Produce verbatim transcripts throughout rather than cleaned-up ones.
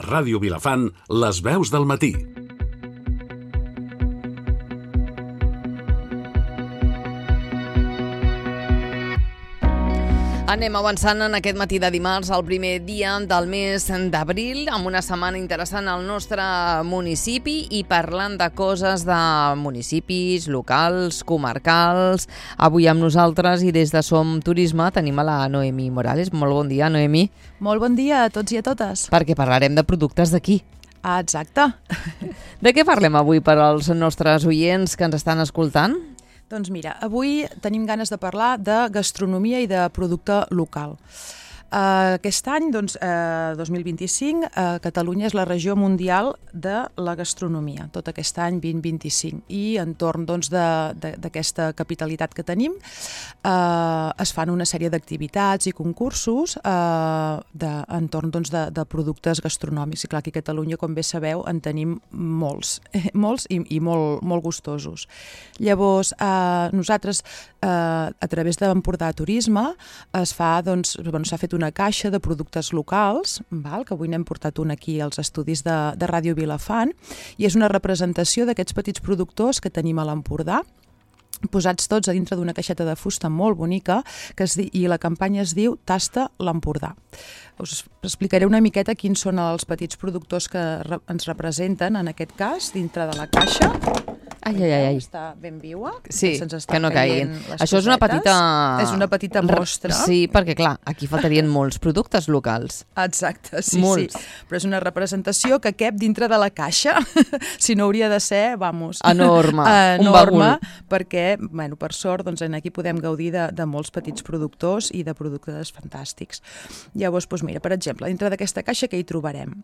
Ràdio Vilafant, les veus del matí. Anem avançant en aquest matí de dimarts, el primer dia del mes d'abril, amb una setmana interessant al nostre municipi i parlant de coses de municipis, locals, comarcals. Avui amb nosaltres i des de Som Turisme tenim a la Noemí Morales. Molt bon dia, Noemí. Molt bon dia a tots i a totes. Perquè parlarem de productes d'aquí. Ah, exacte. De què parlem avui per als nostres oients que ens estan escoltant? Doncs mira, avui tenim ganes de parlar de gastronomia i de producte local. Uh, aquest any, doncs, uh, dos mil vint-i-cinc, uh, Catalunya és la regió mundial de la gastronomia, tot aquest any vint vint-i-cinc. I entorn doncs, d'aquesta capitalitat que tenim uh, es fan una sèrie d'activitats i concursos uh, de, entorn doncs, de, de productes gastronòmics. I clar, aquí a Catalunya, com bé sabeu, en tenim molts, molts i, i molt, molt gustosos. Llavors, uh, nosaltres, uh, a través d'Empordà Turisme, es fa, doncs, bueno, s'ha fet una caixa de productes locals, val? Que avui n'hem portat un aquí als estudis de, de Ràdio Vilafant, i és una representació d'aquests petits productors que tenim a l'Empordà, posats tots a dintre d'una caixeta de fusta molt bonica, que es di, i la campanya es diu Tasta l'Empordà. Us explicaré una miqueta quins són els petits productors que re, ens representen, en aquest cas, dintre de la caixa. Ai, ai, ai. Està ben viua. Sí, que no caiguin. Això és una petita... És una petita mostra. Sí, perquè clar, aquí faltarien molts productes locals. Exacte, sí, molts. sí. Però és una representació que cap dintre de la caixa, si no hauria de ser, vamos... Enorme, enorme, un bagul. Perquè, bueno, per sort, doncs, aquí podem gaudir de, de molts petits productors i de productes fantàstics. Llavors, doncs mira, per exemple, dintre d'aquesta caixa què hi trobarem?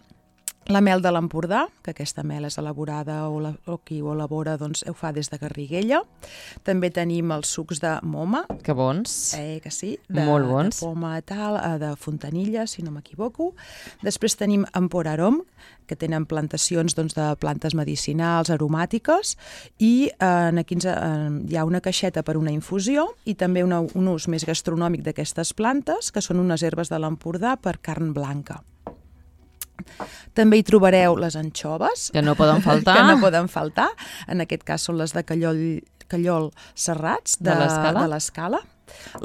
La mel de l'Empordà, que aquesta mel és elaborada o, la, o qui ho elabora doncs, ho fa des de Garriguella. També tenim els sucs de moma. Que bons. Eh, que sí. De, Molt bons. De poma tal, de fontanilla, si no m'equivoco. Després tenim Emporarom, que tenen plantacions doncs, de plantes medicinals, aromàtiques, i eh, aquí ens, eh, hi ha una caixeta per una infusió i també una, un ús més gastronòmic d'aquestes plantes, que són unes herbes de l'Empordà per carn blanca. També hi trobareu les anxoves. Que no poden faltar. Que no poden faltar. En aquest cas són les de Callol, Callol Serrats, de, de l'Escala.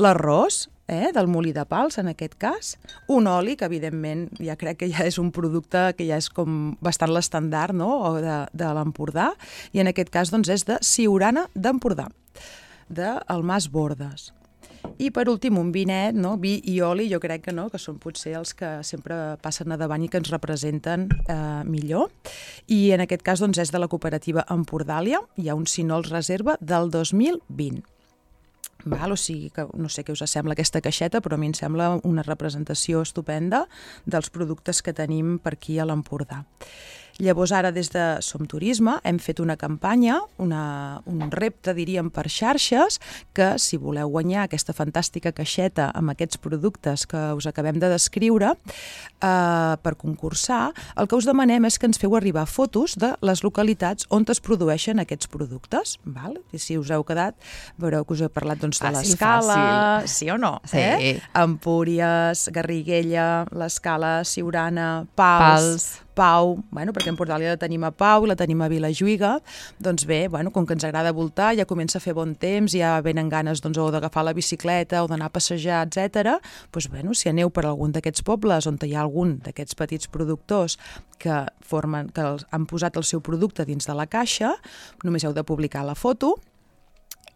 L'arròs, eh, del Molí de Pals, en aquest cas. Un oli, que evidentment ja crec que ja és un producte que ja és com bastant l'estandard, no?, de, de l'Empordà. I en aquest cas doncs, és de Siurana d'Empordà, del Mas Bordes. I per últim un vinet, no? Vi i oli, jo crec que no, que són potser els que sempre passen a davant i que ens representen eh, millor. I en aquest cas doncs, és de la cooperativa Empordàlia, hi ha un Sinols Reserva del dos mil vint. Val? O sigui, que no sé què us sembla aquesta caixeta, però a mi em sembla una representació estupenda dels productes que tenim per aquí a l'Empordà. Llavors ara des de Som Turisme hem fet una campanya, una, un repte diríem per xarxes, que si voleu guanyar aquesta fantàstica caixeta amb aquests productes que us acabem de descriure eh, per concursar, el que us demanem és que ens feu arribar fotos de les localitats on es produeixen aquests productes. Val? I si us heu quedat, veureu que us he parlat doncs, de l'Escala, sí o no? Sí. Eh? Empúries, Garriguella, l'Escala, Siurana, Pals... Pals. Pau, bueno, perquè a Empordàlia la tenim a Pau i la tenim a Vilajuïga, doncs bé, bueno, com que ens agrada voltar, ja comença a fer bon temps, ja venen ganes doncs, o d'agafar la bicicleta o d'anar a passejar, etcètera. Doncs bueno, si aneu per algun d'aquests pobles on hi ha algun d'aquests petits productors que, formen, que han posat el seu producte dins de la caixa, només heu de publicar la foto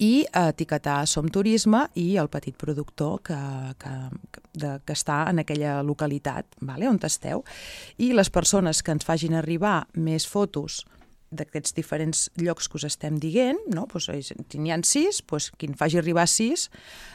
i etiquetar Som Turisme i el petit productor que, que, de, que està en aquella localitat, vale, on esteu. I les persones que ens facin arribar més fotos d'aquests diferents llocs que us estem dient, no? Pues, si n'hi ha sis, pues, qui en faci arribar sis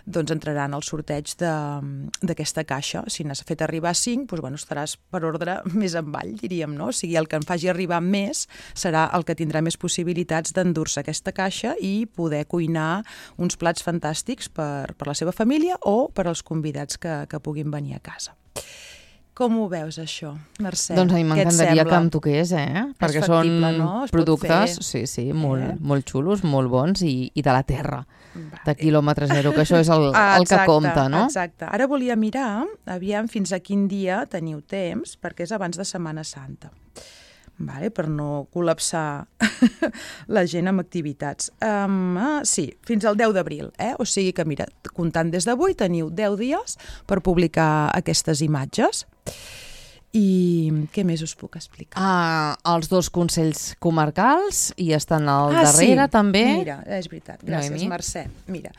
doncs entraran al sorteig d'aquesta caixa. Si n'has fet arribar cinc, pues, bueno, estaràs per ordre més avall, diríem, no? O sigui, el que en faci arribar més serà el que tindrà més possibilitats d'endur-se aquesta caixa i poder cuinar uns plats fantàstics per, per la seva família o per als convidats que, que puguin venir a casa. Com ho veus, això, Mercè? Doncs a mi m'encantaria que em toqués, eh? Perquè factible, són no? Es productes, sí, sí, molt, eh? molt xulos, molt bons i, i de la terra, Va. de quilòmetre zero, que això és el, ah, el que compta, no? Exacte. Ara volia mirar, aviam fins a quin dia teniu temps, perquè és abans de Setmana Santa. Vale, per no col·lapsar la gent amb activitats. Um, ah, sí, fins al deu d'abril, eh? O sigui que, mira, comptant des d'avui, teniu deu dies per publicar aquestes imatges. I què més us puc explicar? Ah, els dos consells comarcals i estan al ah, darrere, sí. també. Mira, és veritat. Gràcies, Noemi. Mercè. Mira,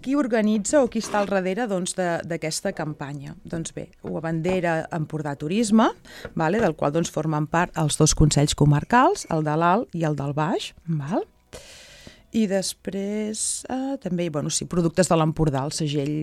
qui organitza o qui està al darrere doncs, d'aquesta campanya? Doncs bé, ho abandera Empordà Turisme, vale, del qual doncs, formen part els dos consells comarcals, el de l'Alt i el del Baix, val? I després eh, també, bueno, sí, productes de l'Empordà, el segell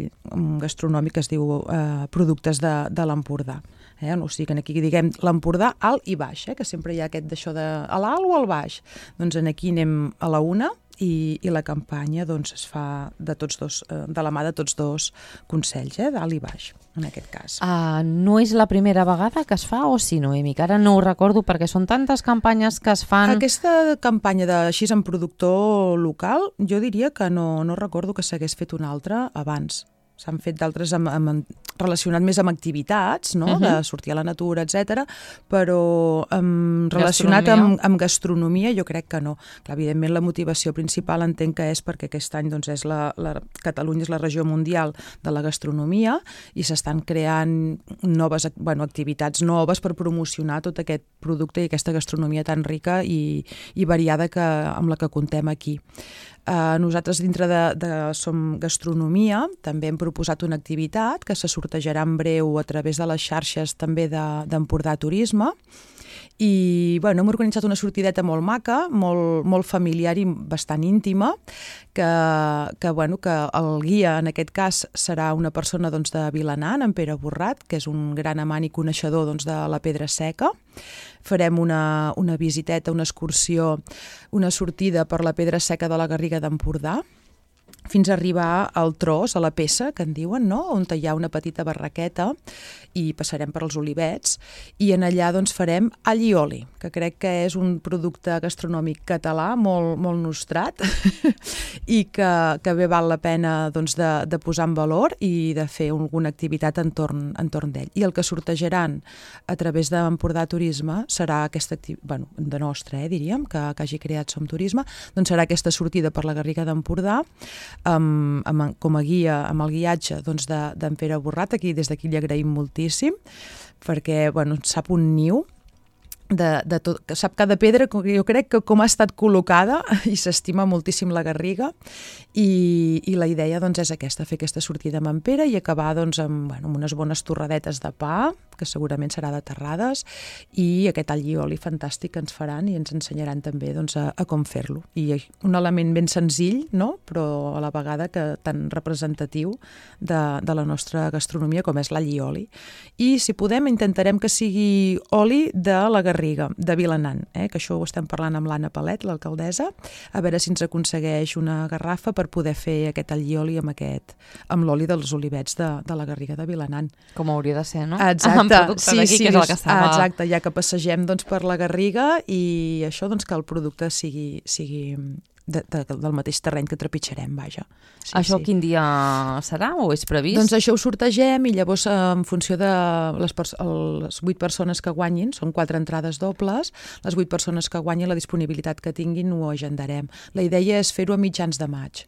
gastronòmic es diu eh, productes de, de l'Empordà. Eh? O sigui, que aquí diguem l'Empordà alt i baix, eh? Que sempre hi ha aquest d'això de a l'alt o al baix. Doncs aquí anem a la una i, i la campanya doncs, es fa de, tots dos, eh, de la mà de tots dos consells, eh? D'alt i baix, en aquest cas. Uh, no és la primera vegada que es fa o sí, Noemi? Que ara no ho recordo perquè són tantes campanyes que es fan... Aquesta campanya de així en productor local, jo diria que no, no recordo que s'hagués fet una altra abans. S'han fet d'altres amb, amb, relacionat més amb activitats, no? Uh-huh. De sortir a la natura, etcètera, però um, relacionat amb, amb gastronomia jo crec que no. Clar, evidentment la motivació principal entenc que és perquè aquest any doncs, és la, la, Catalunya és la regió mundial de la gastronomia i s'estan creant noves bueno, activitats noves per promocionar tot aquest producte i aquesta gastronomia tan rica i, i variada que, amb la que contem aquí. Uh, nosaltres dintre de, de Som Gastronomia també hem proposat una activitat que se sortejarà en breu a través de les xarxes també d'Empordà de, Turisme i bueno, hem organitzat una sortideta molt maca, molt, molt familiar i bastant íntima, que, que, bueno, que el guia en aquest cas serà una persona doncs, de Vilanant, en Pere Borrat, que és un gran amant i coneixedor doncs, de la Pedra Seca. Farem una, una visiteta, una excursió, una sortida per la Pedra Seca de la Garriga d'Empordà, fins a arribar al tros, a la peça, que en diuen, no? On hi ha una petita barraqueta i passarem per als olivets i en allà doncs, farem all i oli, que crec que és un producte gastronòmic català molt, molt nostrat i que, que bé val la pena doncs, de, de posar en valor i de fer alguna activitat entorn, entorn d'ell. I el que sortejaran a través d'Empordà Turisme serà aquesta activitat, bueno, de nostra, eh, diríem, que, que hagi creat Som Turisme, doncs serà aquesta sortida per la Garriga d'Empordà Amb, amb, com a guia, amb el guiatge doncs, d'en de, Pere Borrat, aquí des d'aquí li agraïm moltíssim, perquè bueno, sap un niu, de, de tot, que sap cada pedra, jo crec que com ha estat col·locada i s'estima moltíssim la Garriga i, i la idea doncs, és aquesta, fer aquesta sortida amb en Pere i acabar doncs, amb, bueno, amb unes bones torradetes de pa, que segurament serà de terrades, i aquest all i oli fantàstic que ens faran i ens ensenyaran també doncs, a, a com fer-lo. I un element ben senzill, no? Però a la vegada que tan representatiu de, de la nostra gastronomia com és l'all i oli. I si podem intentarem que sigui oli de la Garriga, de Vilanant, eh? Que això ho estem parlant amb l'Anna Palet, l'alcaldessa, a veure si ens aconsegueix una garrafa per poder fer aquest all i oli amb, aquest, amb l'oli dels olivets de, de la Garriga de Vilanant. Com hauria de ser, no? Exacte. Sí, sí, que és el que estava... exacte, ja que passegem doncs, per la Garriga i això doncs, que el producte sigui, sigui de, de, del mateix terreny que trepitjarem, vaja. Sí, això sí. Quin dia serà o és previst? Doncs això ho sortegem i llavors en funció de les, les vuit persones que guanyin, són quatre entrades dobles, les vuit persones que guanyin la disponibilitat que tinguin ho agendarem. La idea és fer-ho a mitjans de maig.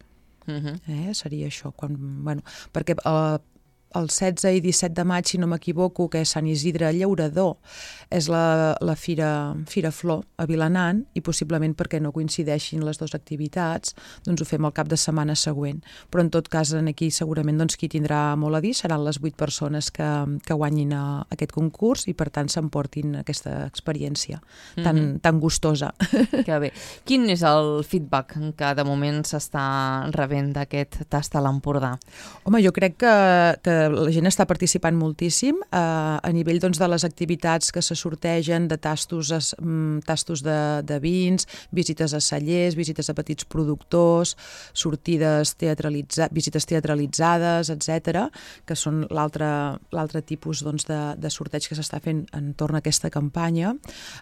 Uh-huh. eh? Seria això, quan, bueno, perquè eh, el setze i disset de maig, si no m'equivoco, que és Sant Isidre Llaurador, és la, la Fira, Fira Flor a Vilanant i possiblement perquè no coincideixin les dues activitats, doncs ho fem el cap de setmana següent. Però en tot cas aquí segurament doncs, qui tindrà molt a dir seran les vuit persones que, que guanyin a, aquest concurs i per tant s'emportin aquesta experiència tan, mm-hmm. tan gustosa. Que bé. Quin és el feedback que de moment s'està rebent d'aquest tast a l'Empordà? Home, jo crec que, que la gent està participant moltíssim eh, a nivell doncs, de les activitats que se sortegen, de tastos, es, tastos de, de vins, visites a cellers, visites a petits productors, sortides teatralitza, visites teatralitzades, etcètera, que són l'altre tipus doncs, de, de sorteig que s'està fent entorn a aquesta campanya.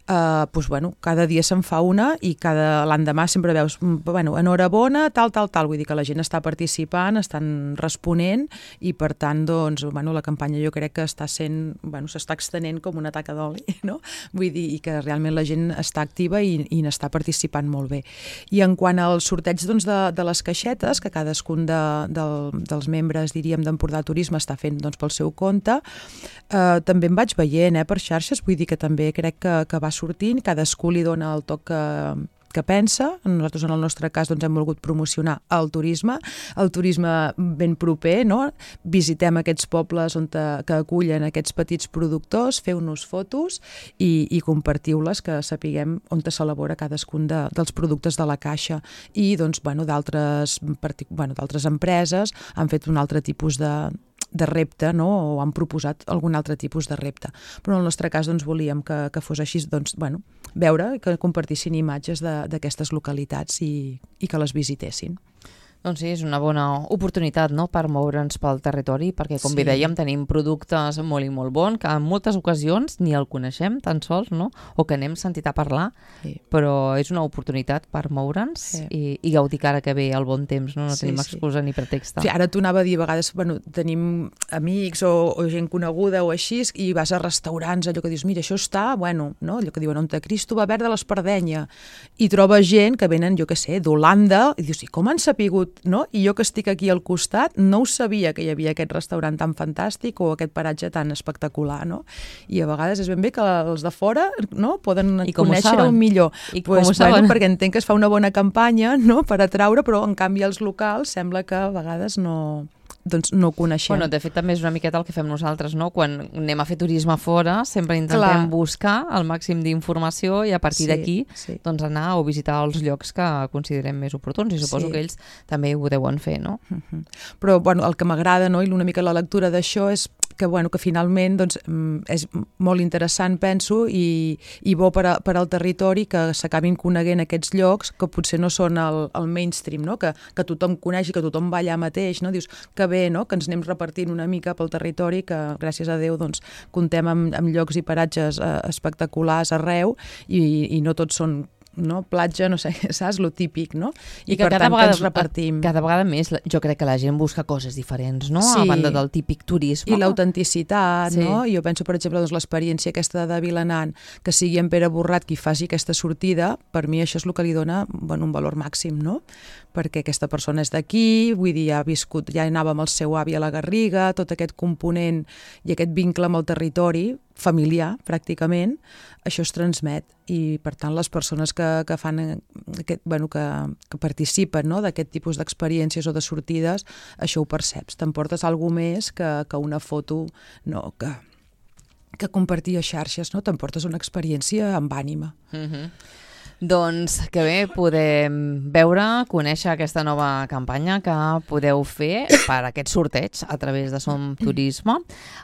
Eh, doncs, bueno, cada dia se'n fa una i cada l'endemà sempre veus, bueno, enhorabona, tal, tal, tal, vull dir que la gent està participant, estan responent i per tant, doncs, bueno, la campanya jo crec que està sent, bueno, s'està extenent com una taca d'oli, no? Vull dir, i que realment la gent està activa i, i n'està participant molt bé. I en quant al sorteig doncs, de, de les caixetes, que cadascun de, de, dels membres, diríem, d'Empordà Turisme està fent doncs, pel seu compte, eh, també em vaig veient eh, per xarxes, vull dir que també crec que, que va sortint, cadascú li dona el toc que que pensa. Nosaltres en el nostre cas doncs, hem volgut promocionar el turisme, el turisme ben proper, no? Visitem aquests pobles on te, que acullen aquests petits productors, feu-nos fotos i, i compartiu-les, que sapiguem on s'elabora cadascun de, dels productes de la caixa. I doncs, bueno, d'altres bueno, d'altres empreses han fet un altre tipus de de repte, no? O han proposat algun altre tipus de repte. Però en el nostre cas doncs, volíem que, que fos així, doncs, bueno, veure que compartissin imatges d'aquestes localitats i, i que les visitessin. Doncs sí, és una bona oportunitat, no?, per moure'ns pel territori, perquè, com sí. bé dèiem, tenim productes molt i molt bons, que en moltes ocasions ni el coneixem tan sols, no?, o que n'hem sentit a parlar, sí. però és una oportunitat per moure'ns sí. i, i gaudir que ara que ve el bon temps, no, no sí, tenim excusa sí. ni pretext. Sí, ara t'ho anava a dir, a vegades, bueno, tenim amics o, o gent coneguda o així, i vas a restaurants, allò que dius, mira, això està, bueno, no?, allò que diuen, on te Cristo va verd de l'Espardenya, i trobes gent que venen, jo què sé, d'Holanda, i dius, i com han sapigut, no? I jo que estic aquí al costat no ho sabia que hi havia aquest restaurant tan fantàstic o aquest paratge tan espectacular, no? I a vegades és ben bé que els de fora, no?, poden conèixer-ho millor. I com pues, ho bueno, saben? Perquè entenc que es fa una bona campanya, no?, per atraure, però en canvi els locals sembla que a vegades no... doncs no ho coneixem. Bueno, de fet, també és una miqueta el que fem nosaltres, no? Quan anem a fer turisme fora, sempre intentem Clar. buscar el màxim d'informació i a partir sí, d'aquí sí. doncs anar o visitar els llocs que considerem més oportuns i suposo sí. que ells també ho deuen fer, no? Uh-huh. Però, bueno, el que m'agrada, no?, i una mica la lectura d'això és que, bueno, que finalment doncs, és molt interessant, penso, i, i bo per, a, per al territori que s'acabin coneguent aquests llocs que potser no són el, el mainstream, no?, que, que tothom coneix i que tothom va allà mateix, no? Dius, que bé, no?, que ens anem repartint una mica pel territori, que gràcies a Déu doncs, comptem amb, amb llocs i paratges eh, espectaculars arreu i, i no tots són no? platja, no sé, saps? Lo típic, no? I, I per tant vegada, que ens repartim. Cada vegada més jo crec que la gent busca coses diferents, no? Sí. A banda del típic turisme. I l'autenticitat, sí. no? Jo penso, per exemple, doncs, l'experiència aquesta de Vilanant, que sigui en Pere Borrat qui faci aquesta sortida, per mi això és el que li dona bueno, un valor màxim, no? Perquè aquesta persona és d'aquí, vull dir, ja ha viscut, ja anava amb el seu avi a la Garriga, tot aquest component i aquest vincle amb el territori, familiar, pràcticament, això es transmet i, per tant, les persones que, que fan aquest, bueno, que, que participen no? d'aquest tipus d'experiències o de sortides, això ho perceps. T'emportes alguna més que, que una foto no, que, que compartir a xarxes, no? T'emportes una experiència amb ànima. Mm-hmm. Doncs que bé, podem veure, conèixer aquesta nova campanya que podeu fer per aquest sorteig a través de Som Turisme,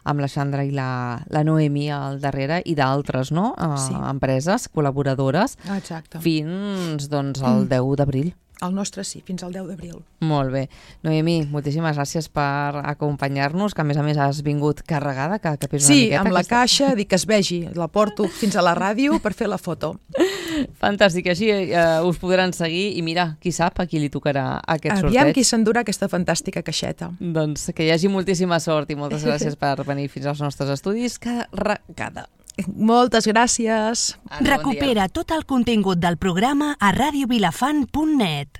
amb la Xandra i la, la Noemi al darrere i d'altres no? uh, sí. empreses col·laboradores. Exacte. Fins doncs, el deu d'abril. El nostre sí, fins al deu d'abril. Molt bé. Noemi, moltíssimes gràcies per acompanyar-nos, que a més a més has vingut carregada, que, que pesa sí, una miqueta. Sí, amb la aquesta... caixa, dic que es vegi, la porto fins a la ràdio per fer la foto. Fantàstic, així eh, us podran seguir i mira, qui sap a qui li tocarà aquest sorteig. Aviam qui s'endurà aquesta fantàstica caixeta. Doncs que hi hagi moltíssima sort i moltes gràcies per venir fins als nostres estudis carregada. Moltes gràcies. Recupera tot el contingut del programa a radio vilafant punt net.